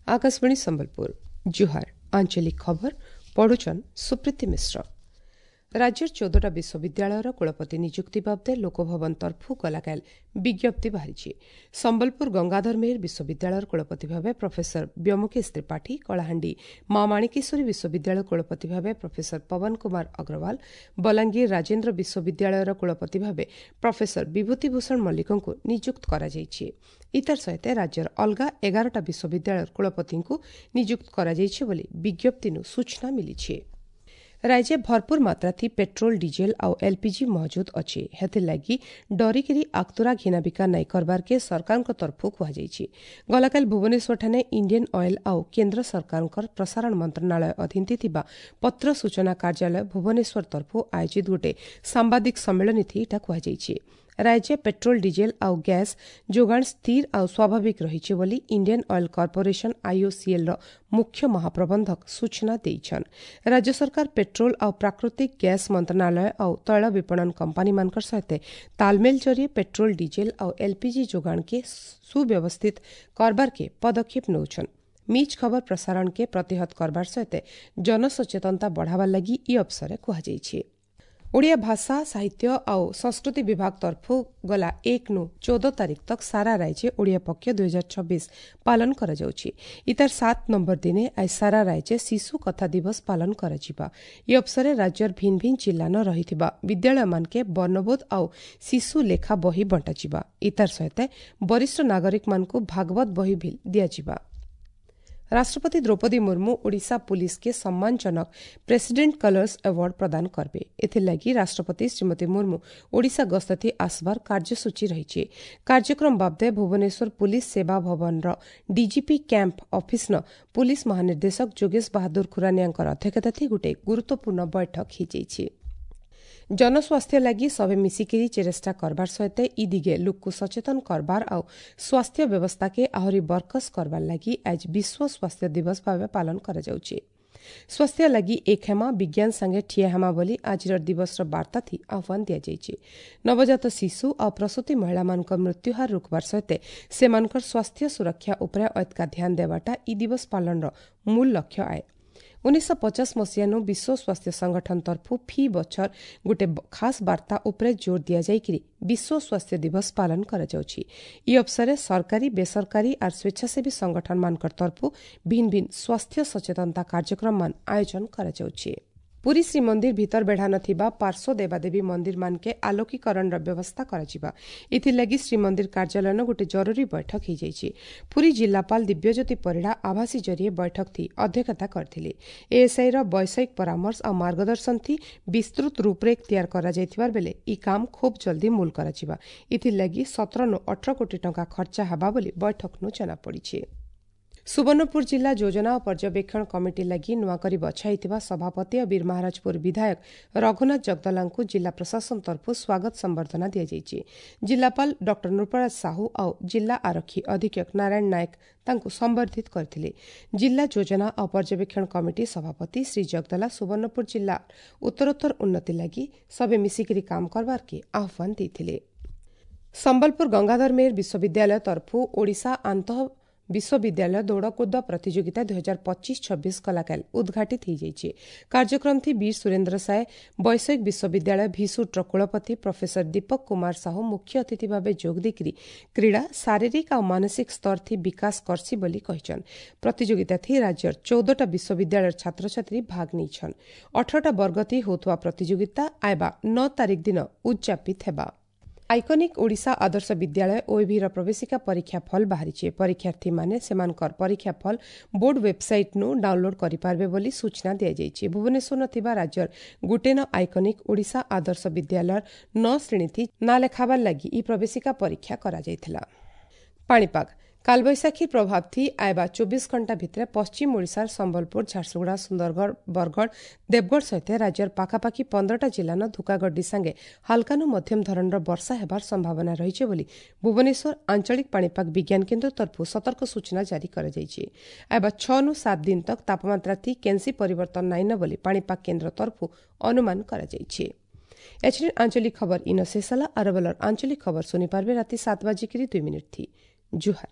Akashvani Sambalpur ଜୁହାର। ଆଞ୍ଚଳିକ ଖବର ପଢୁଛନ୍ ସୁପ୍ରୀତି ମିଶ୍ର। ରାଜ୍ୟର 14ଟା ବିଶ୍ୱବିଦ୍ୟାଳୟର କୁଳପତି ନିଯୁକ୍ତି ବାବଦେ ଲୋକଭବନ ତରଫୁ ଗଲାକାଲ ବିଜ୍ଞପ୍ତି ବାହାରିଛି। ସମ୍ବଲପୁର ଗଙ୍ଗାଧର ମେହେର ବିଶ୍ୱବିଦ୍ୟାଳୟର କୁଳପତି ଭାବେ ପ୍ରଫେସର ବ୍ୟୋମକେଶ ତ୍ରିପାଠୀ, କଳାହାଣ୍ଡି ମା ମାଣିକେଶ୍ୱରୀ ବିଶ୍ୱବିଦ୍ୟାଳୟ କୁଳପତି ଭାବେ ପ୍ରଫେସର ପବନ କୁମାର ଅଗ୍ରୱାଲ, ବଲାଙ୍ଗୀର ରାଜେନ୍ଦ୍ର ବିଶ୍ୱବିଦ୍ୟାଳୟର କୁଳପତି ଭାବେ ପ୍ରଫେସର ବିଭୂତିଭୂଷଣ ମଲ୍ଲିକଙ୍କୁ ନିଯୁକ୍ତ କରାଯାଇଛି। ଇତାର ସହିତ ରାଜ୍ୟର ଅଲଗା 11ଟା ବିଶ୍ୱବିଦ୍ୟାଳୟର କୁଳପତିଙ୍କୁ ନିଯୁକ୍ତ କରାଯାଇଛି ବୋଲି ବିଜ୍ଞପ୍ତିନୁ ସୂଚନା ମିଳିଛି। ରାଜ୍ୟ ଭରପୁର ମାତ୍ରାଥି ପେଟ୍ରୋଲ, ଡିଜେଲ ଆଉ ଏଲ୍ପିଜି ମହଜୁଦ ଅଛି। ହେଥିର୍ଲାଗି ଡରିକିରି ଆକ୍ତୁରା ଘିନାବିକା ନାଇଁ କରବାର୍କେ ସରକାରଙ୍କ ତରଫୁ କୁହାଯାଇଛି। ଗଲାକାଲି ଭୁବନେଶ୍ୱରଠାନେ ଇଣ୍ଡିଆନ୍ ଅଏଲ୍ ଆଉ କେନ୍ଦ୍ର ସରକାରଙ୍କର ପ୍ରସାରଣ ମନ୍ତ୍ରଣାଳୟ ଅଧୀନରେ ଥିବା ପତ୍ର ସୂଚନା କାର୍ଯ୍ୟାଳୟ ଭୁବନେଶ୍ୱର ତରଫୁ ଆୟୋଜିତ ଗୋଟେ ସାମ୍ବାଦିକ ସମ୍ମିଳନୀଥି ଇଟା କୁହାଯାଇଛି। ରାଜ୍ୟ ପେଟ୍ରୋଲ, ଡିଜେଲ ଆଉ ଗ୍ୟାସ୍ ଯୋଗାଣ ସ୍ଥିର ଆଉ ସ୍ୱାଭାବିକ ରହିଛି ବୋଲି ଇଣ୍ଡିଆନ୍ ଅଏଲ୍ କର୍ପୋରେସନ୍ ଆଇଓସିଏଲ୍ର ମୁଖ୍ୟ ମହାପ୍ରବନ୍ଧକ ସୂଚନା ଦେଇଛନ୍। ରାଜ୍ୟ ସରକାର ପେଟ୍ରୋଲ ଆଉ ପ୍ରାକୃତିକ ଗ୍ୟାସ୍ ମନ୍ତ୍ରଣାଳୟ ଆଉ ତୈଳ ବିପଣନ କମ୍ପାନୀମାନଙ୍କର ସହିତ ତାଲମେଲ ଜରିଏ ପେଟ୍ରୋଲ, ଡିଜେଲ ଆଉ ଏଲ୍ପିଜି ଯୋଗାଣକେ ସୁବ୍ୟବସ୍ଥିତ କରବାର୍କେ ପଦକ୍ଷେପ ନେଉଛନ୍। ମିଚ୍ ଖବର ପ୍ରସାରଣକେ ପ୍ରତିହତ କରବାର ସହିତ ଜନସଚେତନତା ବଢ଼ାବାର ଲାଗି ଇ ଅବସରେ କୁହାଯାଇଛି। ଓଡ଼ିଆ ଭାଷା, ସାହିତ୍ୟ ଆଉ ସଂସ୍କୃତି ବିଭାଗ ତରଫୁ ଗଲା 1ନୁ 14 ତାରିଖ ତକ ସାରା ରାଜ୍ୟ ଓଡ଼ିଆ ପକ୍ଷ 2026 ପାଳନ କରାଯାଉଛି। ଇତାର 7 ନମ୍ବର ଦିନେ ଆজ ସାରା ରାଜ୍ୟ ଶିଶୁ କଥା ଦିବସ ପାଳନ କରାଯିବା। ଇ ଅବସରେ ରାଜ୍ୟର ଭିନ୍ ଭିନ୍ ଜିଲ୍ଲାନ ରହିଥିବା ବିଦ୍ୟାଳୟମାନକେ ବର୍ଣ୍ଣବୋଧ ଆଉ ଶିଶୁ ଲେଖା ବହି ବଣ୍ଟାଯିବା। ଇତାର ସହିତ ବରିଷ୍ଠ ନାଗରିକମାନଙ୍କୁ ଭାଗବତ ବହି ବି ଦିଆଯିବା। ରାଷ୍ଟ୍ରପତି ଦ୍ରୌପଦୀ ମୁର୍ମୁ ଓଡ଼ିଶା ପୁଲିସକେ ସମ୍ମାନଜନକ ପ୍ରେସିଡେଣ୍ଟ କଲର୍ସ ଆୱାର୍ଡ ପ୍ରଦାନ କରିବେ। ଏଥିଲାଗି ରାଷ୍ଟ୍ରପତି ଶ୍ରୀମତୀ ମୁର୍ମୁ ଓଡ଼ିଶା ଗସ୍ତଥି ଆସବାର କାର୍ଯ୍ୟସୂଚୀ ରହିଛି। କାର୍ଯ୍ୟକ୍ରମ ବାବଦେ ଭୁବନେଶ୍ୱର ପୁଲିସ ସେବା ଭବନର ଡିଜିପି କ୍ୟାମ୍ପ ଅଫିସନ ପୁଲିସ ମହାନିର୍ଦ୍ଦେଶକ ଯୋଗେଶ ବାହାଦୁର ଖୁରାନିଆଙ୍କର ଅଧ୍ୟକ୍ଷତାଥି ଗୋଟେ ଗୁରୁତ୍ୱପୂର୍ଣ୍ଣ ବୈଠକ ହୋଇଯାଇଛି। ଜନସ୍ୱାସ୍ଥ୍ୟ ଲାଗି ସଭେ ମିଶିକିରି ଚେଷ୍ଟା କରବାର ସହିତ ଇ ଦିଗେ ଲୋକକୁ ସଚେତନ କରବାର ଆଉ ସ୍ୱାସ୍ଥ୍ୟ ବ୍ୟବସ୍ଥାକେ ଆହୁରି ବରକସ କରବାର ଲାଗି ଆଜ ବିଶ୍ୱ ସ୍ୱାସ୍ଥ୍ୟ ଦିବସ ଭାବେ ପାଳନ କରାଯାଉଛି। ସ୍ୱାସ୍ଥ୍ୟ ଲାଗି ଏକ ହେମା, ବିଜ୍ଞାନ ସାଙ୍ଗେ ଠିଆ ହେମା ବୋଲି ଆଜିର ଦିବସର ବାର୍ତ୍ତା ଥି ଆହ୍ୱାନ ଦିଆଯାଇଛି। ନବଜାତ ଶିଶୁ ଆଉ ପ୍ରସୂତି ମହିଳାମାନଙ୍କ ମୃତ୍ୟୁହାର ରୋକବାର ସହିତ ସେମାନଙ୍କର ସ୍ୱାସ୍ଥ୍ୟ ସୁରକ୍ଷା ଉପରେ ଅଧିକା ଧ୍ୟାନ ଦେବାଟା ଇ ଦିବସ ପାଳନର ମୂଳ ଲକ୍ଷ୍ୟ ଆଏ। 1950 ମସିହାନୁ ବିଶ୍ୱ ସ୍ୱାସ୍ଥ୍ୟ ସଂଗଠନ ତରଫୁ ଫି ବଛର ଗୋଟେ ଖାସ୍ ବାର୍ତ୍ତା ଉପରେ ଜୋର ଦିଆଯାଇକିରି ବିଶ୍ୱ ସ୍ୱାସ୍ଥ୍ୟ ଦିବସ ପାଳନ କରାଯାଉଛି। ଇ ଅବସରେ ସରକାରୀ, ବେସରକାରୀ ଆର୍ ସ୍ୱେଚ୍ଛାସେବୀ ସଂଗଠନମାନଙ୍କର ତରଫୁ ଭିନ୍ ଭିନ୍ ସ୍ୱାସ୍ଥ୍ୟ ସଚେତନତା କାର୍ଯ୍ୟକ୍ରମମାନ ଆୟୋଜନ କରାଯାଉଛି। ପୁରୀ ଶ୍ରୀମନ୍ଦିର ଭିତର ବେଢ଼ା ନଥିବା ପାର୍ଶ୍ୱ ଦେବାଦେବୀ ମନ୍ଦିରମାନକେ ଆଲୋକୀକରଣର ବ୍ୟବସ୍ଥା କରାଯିବା। ଏଥିଲାଗି ଶ୍ରୀମନ୍ଦିର କାର୍ଯ୍ୟାଳୟନ ଗୋଟେ ଜରୁରୀ ବୈଠକ ହୋଇଯାଇଛି। ପୁରୀ ଜିଲ୍ଲାପାଳ ଦିବ୍ୟଜ୍ୟୋତି ପରିଡ଼ା ଆଭାସୀ ଜରିଏ ବୈଠକ ଥି ଅଧ୍ୟକ୍ଷତା କରିଥିଲେ। ଏଏସ୍ଆଇର ବୈଷୟିକ ପରାମର୍ଶ ଆଉ ମାର୍ଗଦର୍ଶନ ଥି ବିସ୍ତୃତ ରୂପରେଖ ତିଆର କରାଯାଇଥିବାର ବେଲେ ଇ କାମ ଖୁବ୍ ଜଲ୍ଦି ମୂଲ କରାଯିବା। ଏଥିଲାଗି 17ନୁ 18 କୋଟି ଟଙ୍କା ଖର୍ଚ୍ଚା ହେବା ବୋଲି ବୈଠକନୁ ଜଣାପଡ଼ିଛି। ସୁବର୍ଣ୍ଣପୁର ଜିଲ୍ଲା ଯୋଜନା ଓ ପର୍ଯ୍ୟବେକ୍ଷଣ କମିଟି ଲାଗି ନୂଆକରି ବଛା ହୋଇଥିବା ସଭାପତି ଓ ବୀରମହାରାଜପୁର ବିଧାୟକ ରଘୁନାଥ ଜଗଦଲାଙ୍କୁ ଜିଲ୍ଲା ପ୍ରଶାସନ ତରଫରୁ ସ୍ୱାଗତ ସମ୍ବର୍ଦ୍ଧନା ଦିଆଯାଇଛି। ଜିଲ୍ଲାପାଳ ଡକ୍ଟର ନୃପରାଜ ସାହୁ ଆଉ ଜିଲ୍ଲା ଆରକ୍ଷୀ ଅଧୀକ୍ଷକ ନାରାୟଣ ନାୟକ ତାଙ୍କୁ ସମ୍ବର୍ଦ୍ଧିତ କରିଥିଲେ। ଜିଲ୍ଲା ଯୋଜନା ଓ ପର୍ଯ୍ୟବେକ୍ଷଣ କମିଟି ସଭାପତି ଶ୍ରୀ ଜଗଦଲା ସୁବର୍ଣ୍ଣପୁର ଜିଲ୍ଲା ଉତ୍ତରୋତ୍ତର ଉନ୍ନତି ଲାଗି ସବେ ମିଶିକିରି କାମ କରବାର୍କେ ଆହ୍ୱାନ ଦେଇଥିଲେ। ସମ୍ବଲପୁର ଗଙ୍ଗାଧର ମେହେର ବିଶ୍ୱବିଦ୍ୟାଳୟ ତରଫରୁ ଓଡ଼ିଶା ଆନ୍ତଃ ବିଶ୍ୱବିଦ୍ୟାଳୟ ଦୌଡ଼କୁଦ ପ୍ରତିଯୋଗିତା 2025-26 କଲାକାଲ ଉଦ୍ଘାଟିତ ହୋଇଯାଇଛି। କାର୍ଯ୍ୟକ୍ରମଥି ବୀର ସୁରେନ୍ଦ୍ର ସାଏ ବୈଷୟିକ ବିଶ୍ୱବିଦ୍ୟାଳୟ ଭିସୁଟ୍ର କୁଳପତି ପ୍ରଫେସର ଦୀପକ କୁମାର ସାହୁ ମୁଖ୍ୟ ଅତିଥି ଭାବେ ଯୋଗ ଦେଇକରି କ୍ରୀଡ଼ା ଶାରୀରିକ ଆଉ ମାନସିକ ସ୍ତରଥି ବିକାଶ କରସି ବୋଲି କହିଛନ୍। ପ୍ରତିଯୋଗିତାଥି ରାଜ୍ୟର 14ଟା ବିଶ୍ୱବିଦ୍ୟାଳୟର ଛାତ୍ରଛାତ୍ରୀ ଭାଗ ନେଇଛନ୍। 18ଟା ବର୍ଗଥି ହେଉଥିବା ପ୍ରତିଯୋଗିତା ଆଇବା 9 ତାରିଖ ଦିନ ଉଦ୍ଯାପିତ ହେବା। ଆଇକନିକ୍ ଓଡ଼ିଶା ଆଦର୍ଶ ବିଦ୍ୟାଳୟ ଓଏଭିର ପ୍ରବେଶିକା ପରୀକ୍ଷା ଫଳ ବାହାରିଛି। ପରୀକ୍ଷାର୍ଥୀମାନେ ସେମାନଙ୍କର ପରୀକ୍ଷା ଫଳ ବୋର୍ଡ ୱେବ୍ସାଇଟ୍ନୁ ଡାଉନଲୋଡ୍ କରିପାରିବେ ବୋଲି ସୂଚନା ଦିଆଯାଇଛି। ଭୁବନେଶ୍ୱର ଥିବା ରାଜ୍ୟର ଗୁଟେନ ଆଇକନିକ୍ ଓଡ଼ିଶା ଆଦର୍ଶ ବିଦ୍ୟାଳୟର 9 ଶ୍ରେଣୀଥି ନାଁ ଲେଖାବାର ଲାଗି ଇ ପ୍ରବେଶିକା ପରୀକ୍ଷା କରାଯାଇଥିଲା। ପାଣିପାଗ କାଲବୈଶାଖୀ ପ୍ରଭାବ ଥି ଆଇବା 24 ଘଣ୍ଟା ଭିତରେ ପଶ୍ଚିମ ଓଡ଼ିଶାର ସମ୍ବଲପୁର, ଝାରସୁଗୁଡ଼ା, ସୁନ୍ଦରଗଡ଼, ବରଗଡ଼, ଦେବଗଡ଼ ସହିତ ରାଜ୍ୟର ପାଖାପାଖି 15ଟା ଜିଲ୍ଲାନ ଧୁକାଗଡ୍ଡି ସାଙ୍ଗେ ହାଲକାନୁ ମଧ୍ୟମ ଧରଣର ବର୍ଷା ହେବାର ସମ୍ଭାବନା ରହିଛି ବୋଲି ଭୁବନେଶ୍ୱର ଆଞ୍ଚଳିକ ପାଣିପାଗ ବିଜ୍ଞାନ କେନ୍ଦ୍ର ତରଫରୁ ସତର୍କ ସୂଚନା ଜାରି କରାଯାଇଛି। ଆଇବା 6ନୁ 7 ଦିନ ତକ ତାପମାତ୍ରା ଥି କେନ୍ସି ପରିବର୍ତ୍ତନ ନାଇଁନ ବୋଲି ପାଣିପାଗ କେନ୍ଦ୍ର ତରଫରୁ ଅନୁମାନ କରାଯାଇଛି। एछिन आंचलिक खबर इन शेष होला। अरबलर आंचलिक खबर सुनी पारबे राति 7:02 थी। जुहार।